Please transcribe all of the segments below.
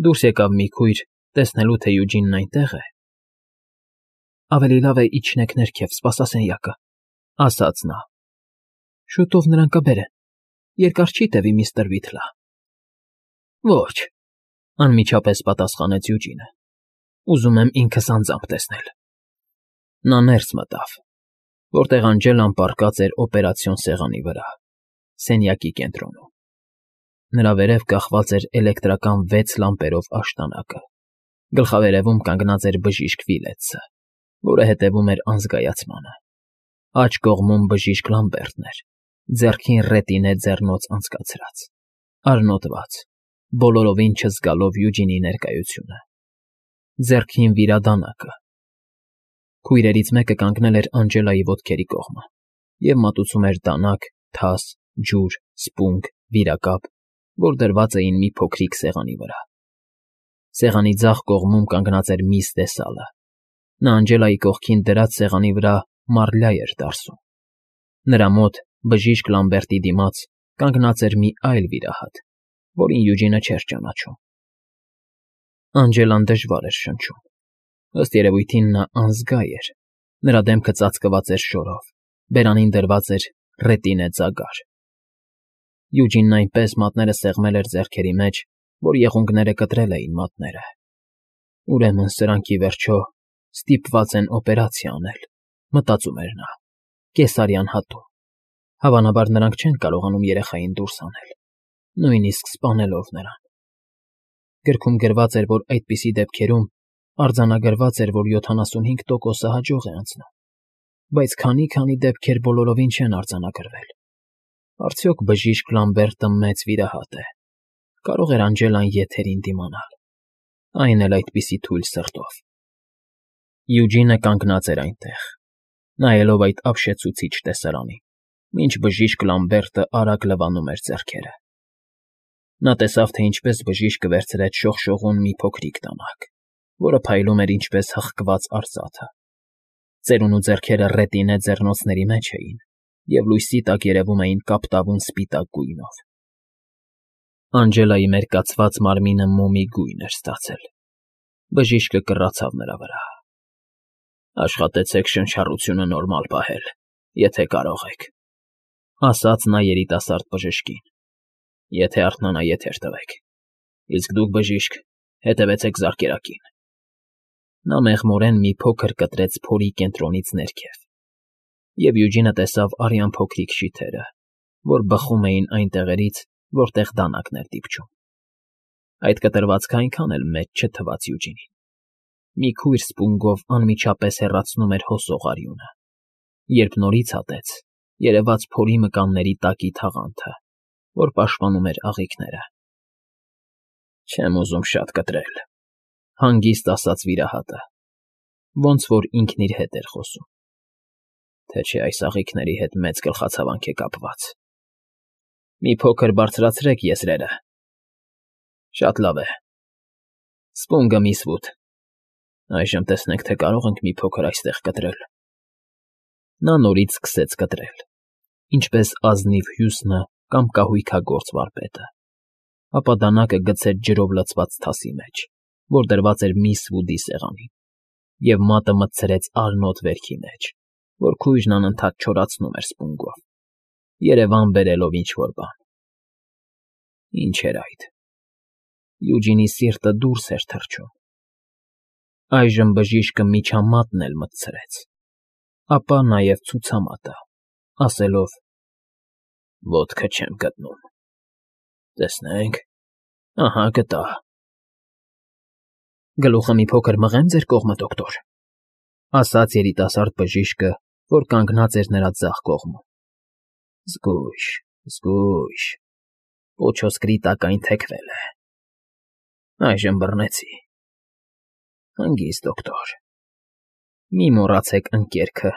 Դուրս եկավ մի քույր, տեսնելու, թե Յուջինն այնտեղ է։ Ավելի լավ է իջնեք ներքև, սպասասենյակը, ասաց նա։ Շուտով նրան կբերեն, երկար չի տևի, միստր Վիթլա։ Ոչ, անմիջապես պատասխանեց Յուջինը։ Ուզում եմ ինքս անձամբ տեսնել։ Նա ներս մտավ, որտեղ Անջելան պառկած էր օպերացիոն սեղանի վրա, սենյակի կենտրոնում։ Նրա վերև կախված էր էլեկտրական 6 լամպերով աշտանակը։ Գլխավերևում կանգնած էր բժիշկ Վիլեցը, որը հետևում էր անզգայացմանը։ Աջ կողմում բժիշկ Լամբերտն էր, ձեռքին ռետինե ձեռնոց անցկացրած, արնոտված, բոլորովին չզգալով Յուջինի ներկայությունը։ Ձեռքին վիրադանակը։ Քույրերից մեկը կանգնել էր Անջելայի ոտքերի կողմը և մատուցում էր դանակ, թաս, ջուր, սպունգ, վիրակապ, որ դրված էին մի փոքրիկ սեղանի վրա։ Սեղանի ձախ կողմում կանգնած էր միս տեսալը։ Նա Անջելայի կողքին դրած սեղանի վրա մարլյա էր դարսում։ Նրա մոտ, բժիշկ Լամբերտի դիմաց, կանգնած էր մի այլ վիրահատ, որին Յուջինը չէր ճանաչում։ Անջելան դժվար էր շնչում։ Ըստ երևույթին նա անզգա էր։ Նրա դեմքը ծածկված էր շորով, բերանին դրված էր ռետինե ծագար։ Յուջինն այնպես մատները սեղմել էր ձեռքերի մեջ, որ եղունգները կտրել էին մատները։ Ուրեմն սրանք ի վերջո ստիպված են օպերացիա անել, մտածում էր նա, կեսարյան հատում։ Հավանաբար նրանք չեն կարողանում երեխային դուրս անել, նույնիսկ սպանելով նրան։ Գրքում գրված էր, որ այդպիսի դեպքերում արձանագրված էր, որ 75%-ը հաջող է անցնում, բայց քանի դեպքեր բոլորովին չեն արձանագրվել։ Արդյոք բժիշկ Լամբերտը մեծ վիրահատ է։ Կարող էր Անջելան եթերին դիմանալ, այն էլ այդպիսի թույլ սրտով։ Յուջինը կանգնած էր այնտեղ, նայելով այդ ապշեցուցիչ տեսարանին, մինչ բժիշկ Լամբերտը արագ լվանում էր ձեռքերը։ Նա տեսավ, թե ինչպես բժիշկը վերցրեց շողշողուն մի փոքրիկ դանակ, որը փայլում էր ինչպես հղկված արծաթը։ Ծերունու ձեռքերը ռետինե ձեռնոցների մեջ էին, և լույսի տակ երևում էին կապտավուն սպիտակ գույնով։ Անջելայի մերկացված մարմինը մոմի գույն էր ստացել։ Բժիշկը կռացավ նրա վրա։ Աշխատեցեք շնչառությունը նորմալ պահել, եթե կարող եք, ասաց նա երիտասարդ բժշկին, եթե արթնանա եթեր տվեք, իսկ դուք, բժիշկ, հետևեցեք զարկերակին։ Նա մեղմորեն մի փոքր կտրեց փորի կենտրոնից ներքև, և Յուջինը տեսավ արյան փոքրիկ շիթերը, որ բխում էին այն տեղերից, որտեղ դանակն էր դիպչում։ Այդ կտրվածքը այնքան էլ մեծ չթվաց Յուջինին։ Մի քույր սպունգով անմիջապես հեռացնում էր հոսող արյունը։ Երբ նորից հատեց, երևաց փորի մկանների տակի թաղանթը, որ պաշտպանում էր աղիքները։ Չեմ ուզում շատ կտրել, հանգիստ ասաց վիրահատը, ոնց որ ինքն իր հետ էր խոսում, թե չէ այս աղիքների հետ մեծ գլխացավանք է կապված։ Մի փոքր բարձրացրեք եզրերը։ Շատ լավ է։ Սպունգը միս Վուդ։ Այժմ տեսնենք, թե կարող ենք մի փոքր այստեղ կտրել։ Նա նորից սկսեց կտրել, ինչպես ազնիվ հյուսնը կամ կահույքագործ վարպետը, ապա դանակը գցեց ջրով լցված թասի մեջ, որ դրված էր միս Վուդի սեղանին, և մատը մտցրեց արնոտ վերքի մեջ, որ քույրն անընդհատ չորացնում էր սպունգով, երևան բերելով ինչ֊որ բան։ Ինչ էր այդ։ Յուջինի սիրտը դուրս էր թռչում։ Այժմ բժիշկը միջամատն էլ մտցրեց, ապա նաև ցուցամատը, ասելով. Ոտքը չեմ գտնում։ Տեսնենք, ահա գտա։ Գլուխը մի փոքր մղեմ ձեր կողմը, դոկտոր, ասաց երիտասարդ բժիշկը, որ կանգնած էր նրա ձախ կողմում։ Զգույշ, զգույշ, պոչոսկրի տակայն թեքվել է։ Այժմ բռնեցի։ Հանգիստ, դոկտոր։ Մի մոռացեք ընկերքը։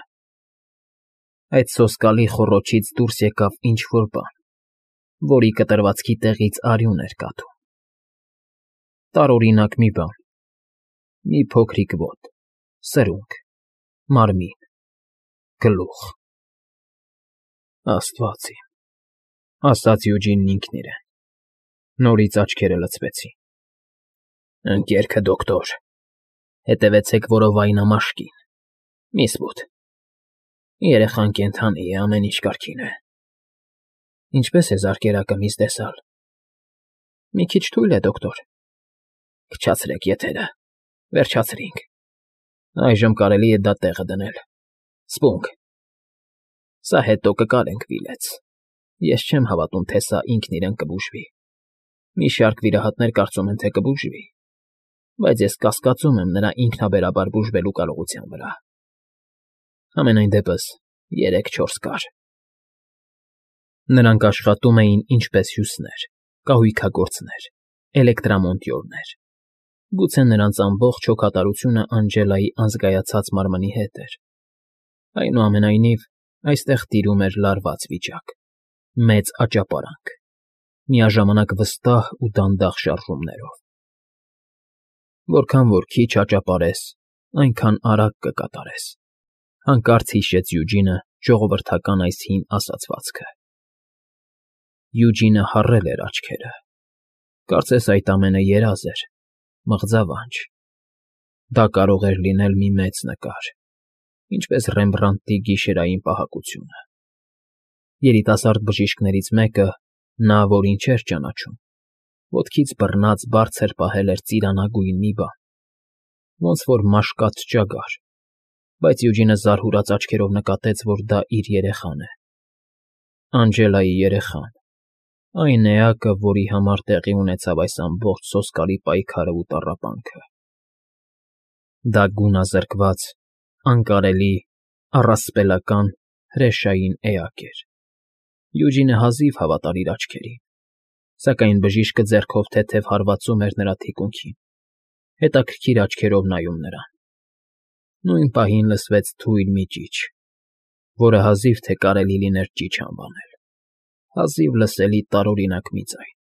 Այդ սոսկալի խոռոչից դուրս եկավ ինչ֊որ բան, որի կտրվածքի տեղից արյուն էր կաթում։ Տարօրինակ մի բան, մի փոքրիկ ոտ, սրունք, մարմին, գլուխ։ Աստված իմ, ասաց Յուջինն ինքն իրեն, նորից աչքերը լցվեցին։ Ընկերքը դոկտոր, հետևեցեք որովայնամաշկին, մի սպուտ, երեխան կենդանի է, ամեն ինչ կարգին է։ Ինչպե՞ս է զարկերակը, միս Դեսալ։ Մի քիչ թույլ է, դոկտոր։ Քչացրեք եթերը, վերջացրինք, այժմ կարելի է դա տեղը դնել, սպունգ, սա հետո կկարենք վիլեց, ես չեմ հավատում, թե սա ինքն իրեն կբուժվի, մի շարք վիրահատներ կարծում են, թե կբուժվի, բայց ես կասկածում եմ նրա ինքնաբերաբար բուժվելու կարողության վրա։ Համենայն դեպս 3-4 կար։ Նրանք աշխատում էին ինչպես հյուսներ, կահույքագործներ, էլեկտրամոնտյորներ։ Գուցե նրանց ամբողջ հոգատարությունը Անջելայի անզգայացած մարմնի հետ էր։ Այնուամենայնիվ, այստեղ տիրում էր լարված վիճակ, մեծ աճապարանք, միաժամանակ վստահ ու դանդաղ շարժումներով։ Որքան որ քիչ աճապարես, այնքան արագ կկատարես, հանկարծ հիշեց Յուջինը ժողովրդական այս հին ասացվածքը։ Յուջինը հառել էր աչքերը, կարծես այդ ամենը երազ էր, մղձավանջ։ Դա կարող էր լինել մի մեծ նկար, ինչպես Ռեմբրանդտի գիշերային պահակությունը։ Երիտասարդ բժիշկներից մեկը, նա, որին չէր ճանաչում, ոտքից բռնած բարձր պահել էր ծիրանագույն մի բան, ոնց որ մաշկած ճագար, բայց Յուջինը զարհուրած աչքերով նկատեց, որ դա իր երեխան է։ Անջելայի երեխան, այն էակը, որի համար տեղի ունեցավ այս ամբողջ սոսկալի պայքարը ու տառապանքը։ Դա գունազրկված, անկարելի, առասպելական, հրեշային էակ էր։ Յուջինը հազիվ հավատար իր աչքերին, սակայն բժիշկը ձեռքով թեթև հարվածում էր նրա թիկունքին, հետաքրքիր աչքերով նայում նրան։ Նույն պահին լսվեց թույլ մի ճիչ, որը հազիվ թե կարելի լիներ ճիչ անվանել, հազիվ լսելի տարօրինակ մի ձայն։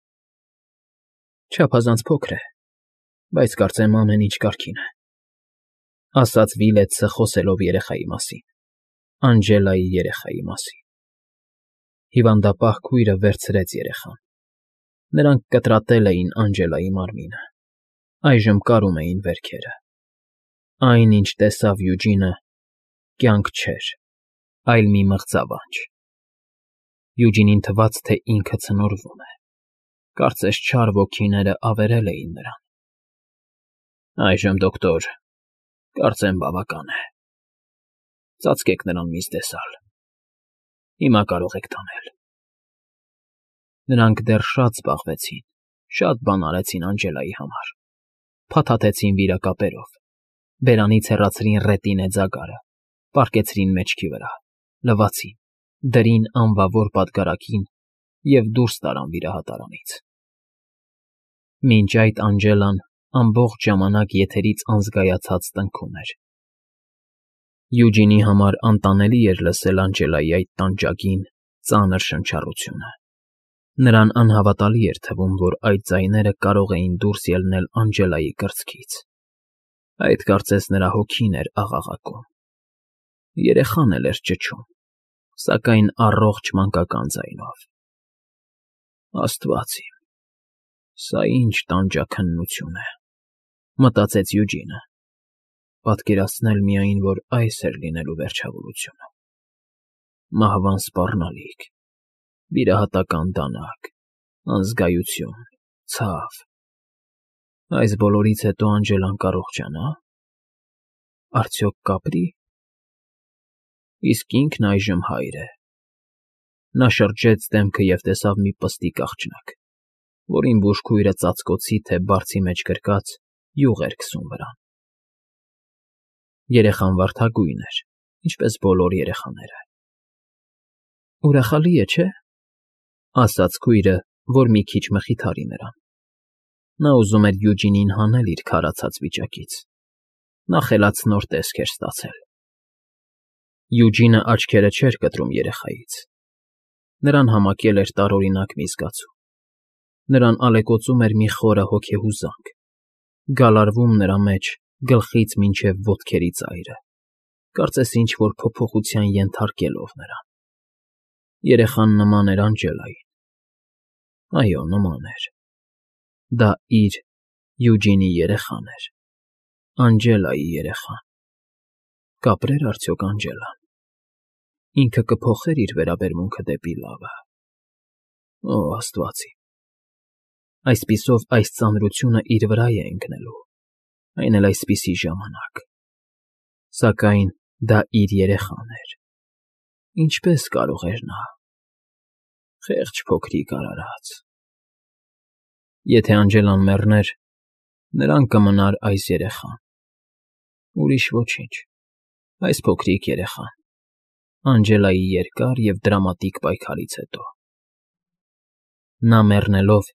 Չափազանց փոքր է, բայց կարծեմ ամեն ինչ կարգին է, ասաց Վիլեցը խոսելով երեխայի մասին, Անջելայի երեխայի մասին։ Հիվանդապահ քույրը վերցրեց երեխան։ Նրանք կտրատել էին Անջելայի մարմինը, այժմ կարում էին վերքերը։ Այն, ինչ տեսավ Յուջինը, կյանք չէր, այլ մի մղձավանջ։ Յուջինին թվաց, թե ինքը ցնորվում է, կարծես չար ոգիները ավերել էին նրան։ Այժմ, դոկտոր, կարծեմ բավական է։ Ծածկեք նրան, միս Դեսալ։ Հիմա կարող եք տանել։ Նրանք դեռ շատ զբաղվեցին, շատ բան արեցին Անջելայի համար, փաթաթեցին վիրակապերով, բերանից հեռացրին ռետինե ձագարը, պառկեցրին մեջքի վրա, լվացին, դրին անվավոր պատգարակին և դուրս տարան վիրահատարանից։ Մինչ այդ Անջելան ամբողջ ժամանակ եթերից անզգայացած տնքում էր։ Յուջինի համար անտանելի էր լսել Անջելայի այդ տանջագին, ծանր շնչառությունը։ Նրան անհավատալի էր թվում, որ այդ ձայները կարող էին դուրս ելնել Անջելայի կրծքից։ Այդ կարծես նրա հոգին էր աղաղակում։ Երեխան էլ էր ճչում, սակայն առողջ մանկական ձայնով։ Աստված իմ, սա ինչ տանջաքննություն է, մտածեց Յուջինը, պատկերացնել միայն, որ այս էր լինելու վերջավորությունը։ Մահվան սպառնալիք, վիրահատական դանակ, անզգայություն, ցավ։ Այս բոլորից հետո Անջելան կարողանա՞։ Արդյոք կապրի։ Իսկ ինքն այժմ հայր է։ Նա շրջեց դեմքը և տեսավ մի պստիկ աղջնակ, որին բուժքույրը ծածկոցի թե բարձի մեջ գրկած յուղ էր քսում վրան։ Երեխան վարդագույն էր, ինչպես բոլոր երեխաները։ Ուրախալի է, չէ՞, ասաց քույրը, որ մի քիչ մխիթարի նրան։ Նա ուզում էր Յուջինին հանել իր քարացած վիճակից։ Նա խելացնոր տեսք էր ստացել։ Յուջինը աչքերը չէր կտրում երեխայից։ Նրան համակել էր տարօրինակ մի զգացում։ Նրան ալեկոծում էր մի խորը հոգեհուզանք, գալարվում նրա մեջ գլխից մինչև ոտքերի ծայրը, կարծես ինչ-որ փոփոխության ենթարկելով նրան։ Երեխան նման էր Անջելային։ Այո, նման էր։ Դա իր Յուջինի երեխան էր, Անջելայի երեխան։ Կապրեր արդյոք Անջելան։ Ինքը կփոխեր իր վերաբերմունքը դեպի լավը։ Օ, Աստված իմ։ Այսպիսով այս ծանրությունը իր վրա է ընկնելու, այն էլ այսպիսի ժամանակ։ Սակայն դա իր երեխան էր։ Ինչպե՞ս կարող էր նա։ Խեղճ փոքրիկ արարած։ Եթե Անջելան մեռներ, նրան կմնար այս երեխան։ Ուրիշ ոչինչ, այս փոքրիկ երեխան, Անջելայի երկար և դրամատիկ պայքարից հետո։ Նա մեռնելով,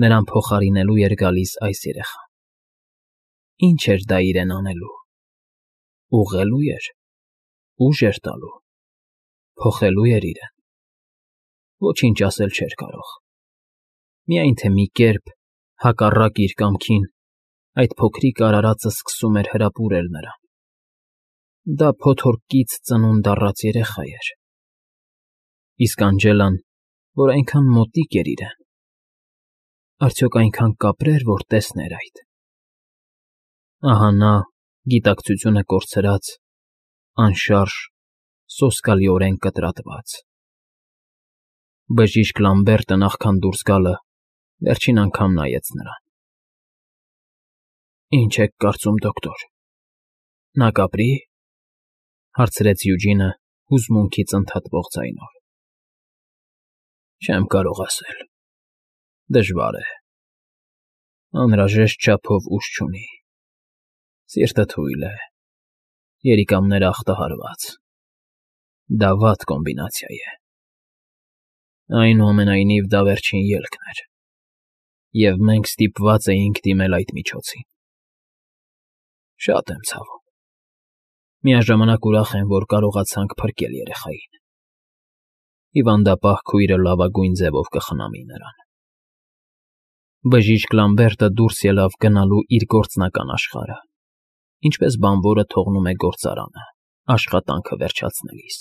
նրան փոխարինելու էր գալիս այս երեխան։ Ինչ էր դա իրեն անելու։ Ուղղելո՞ւ էր, ուժ էր տալու, փոխելո՞ւ էր իրեն։ Ոչինչ ասել չէր կարող։ Միայն թե մի կերպ, հակառակ իր կամքին, այդ փոքրիկ արարածը սկսում էր հրապուրել նրան։ Դա փոթորկից ծնունդ առած երեխա էր։ Իսկ Անջելան, որ այնքան մոտիկ էր իրեն, արդյոք այնքան կապրեր, որ տեսներ այդ։ Ահա նա, գիտակցությունը կորցրած, անշարժ, սոսկալիորեն կտրատված։ Բժիշկ Լամբերտը նախքան դուրս գալը վերջին անգամ նայեց նրան։ Ինչ եք կարծում, դոկտոր, նա կապրի՞, հարցրեց Յուջինը հուզմունքից ընդհատվող ձայնով։ Չեմ կարող ասել, դժվար է, անհրաժեշտ չափով ուժ չունի, սիրտը թույլ է, երիկամները ախտահարված, դա վատ կոմբինացիա է։ Այնուամենայնիվ դա վերջին ելքն էր, և մենք ստիպված էինք դիմել այդ միջոցին։ Շատ եմ ցավում։ Միաժամանակ ուրախ եմ, որ կարողացանք փրկել երեխային։ Հիվանդապահ քույրը լավագույն ձևով կխնամի նրան։ Բժիշկ Լամբերտը դուրս ելավ գնալու իր գործնական աշխարհը, ինչպես բանվորը թողնում է գործարանը, աշխատանքը վերջացնելիս։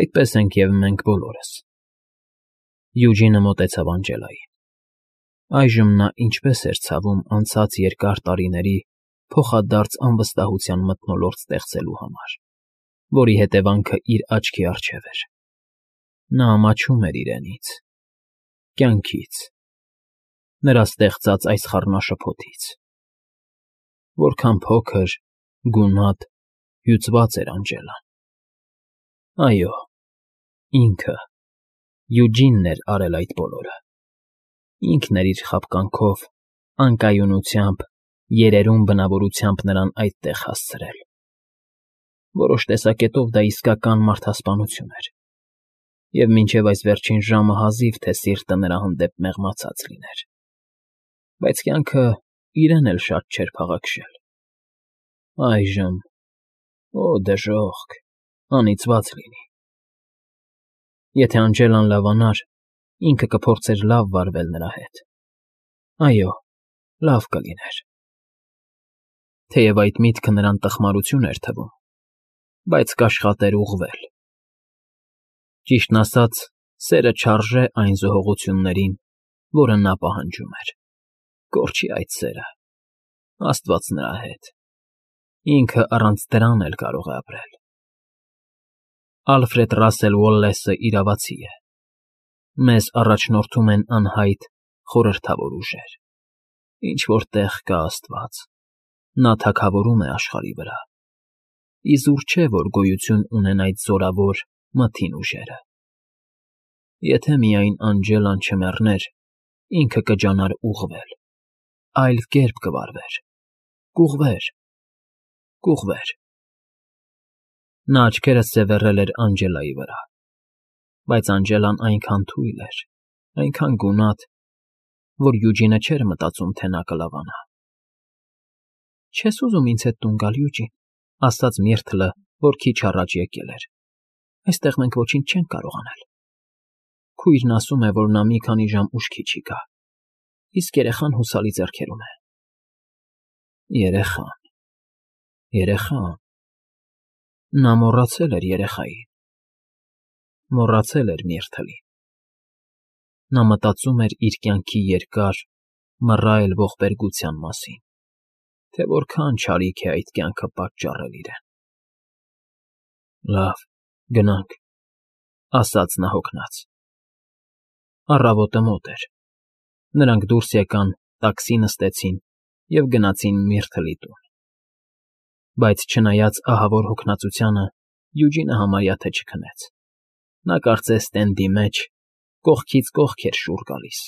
Այդպես ենք և մենք բոլորս։ Յուջինը մոտեցավ Անջելային։ Այժմ նա ինչպես էր ցավում անցած երկար տարիների փոխադարձ անվստահության մթնոլորտ ստեղծելու համար, որի հետևանքը իր աչքի առջև էր։ Նա ամաչում էր իրենից, կյանքից, նրա ստեղծած այս խառնաշփոթից։ Որքան փոքր, գունատ, հյուծված էր Անջելան։ Այո, ինքը, Յուջինն էր արել այդ բոլորը։ Ինքն էր իր խաբկանքով, անկայունությամբ, երերուն բնավորությամբ նրան այդտեղ հասցրել։ Որոշ տեսակետով դա իսկական մարդասպանություն էր, և մինչև այս վերջին ժամը հազիվ թե սիրտը նրա հանդեպ մեղմացած լիներ։ Բայց կյանքը իրեն էլ շատ չէր փաղաքշել։ Այժմ, օ դժոխք, անիծված լինի։ Եթե Անջելան լավանար, ինքը կփորձեր լավ վարվել նրա հետ։ Այո, լավ կլիներ։ Թեև այդ միտքը նրան տխմարություն էր թվում, բայց կաշխատեր ուղղվել։ Ճիշտն ասած, սերը չարժե այն զոհողություններին, որը նա պահանջում էր։ Կորչի այդ սերը, Աստված նրա հետ։ Ինքը առանց դրան էլ կարող է ապրել։ Ալֆրեդ Ռասել Ուոլլեսը իրավացի է։ Մեզ առաջնորդում են անհայտ, խորհրդավոր ուժեր։ Ինչ-որ տեղ կա Աստված։ Նա թագավորում է աշխարհի վրա։ Իզուր չէ, որ գոյություն ունեն այդ զորավոր, մթին ուժերը։ Եթե միայն Անջելան չմեռներ, ինքը կջանար ուղղվել, այլ կերպ կվարվեր, կուղղվեր, կուղղվեր։ Նա աչքերը սևեռել էր Անջելայի վրա, բայց Անջելան այնքան թույլ էր, այնքան գունատ, որ Յուջինը չէր մտածում, թե նա կլավանա։ Չես ուզում ինձ հետ տուն գալ, Յուջին, ասաց Միրթլը, որ քիչ առաջ եկել էր։ Այստեղ մենք ոչինչ չենք կարող անել։ Քույրն ասում է, որ նա մի քանի ժամ ուշքի չի գա, իսկ երեխան հուսալի ձեռքերում է։ Երեխան, երեխան… Նա մոռացել էր երեխային։ Մոռացել էր Միրթլին։ Նա մտածում էր իր կյանքի երկար, Մռայլ ողբերգության մասին, թե որքան չարիք է այդ կյանքը պատճառել իրեն։ «Լավ, գնանք,֊ ասաց նա հոգնած։ Առավոտը մոտ էր։ Նրանք դուրս եկան, տաքսի նստեցին և գնացին Միրթլի տուն։ Բայց չնայած ահավոր հոգնածությանը, Յուջինը համարյա թե չքնեց։ Նա կարծես տենդի մեջ կողքից կողք էր շուռ գալիս։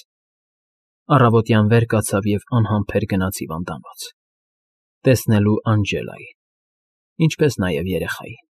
Առավոտյան վեր կացավ և անհամբեր գնաց հիվանդանոց՝ տեսնելու Անջելային, ինչպես նաև երեխային։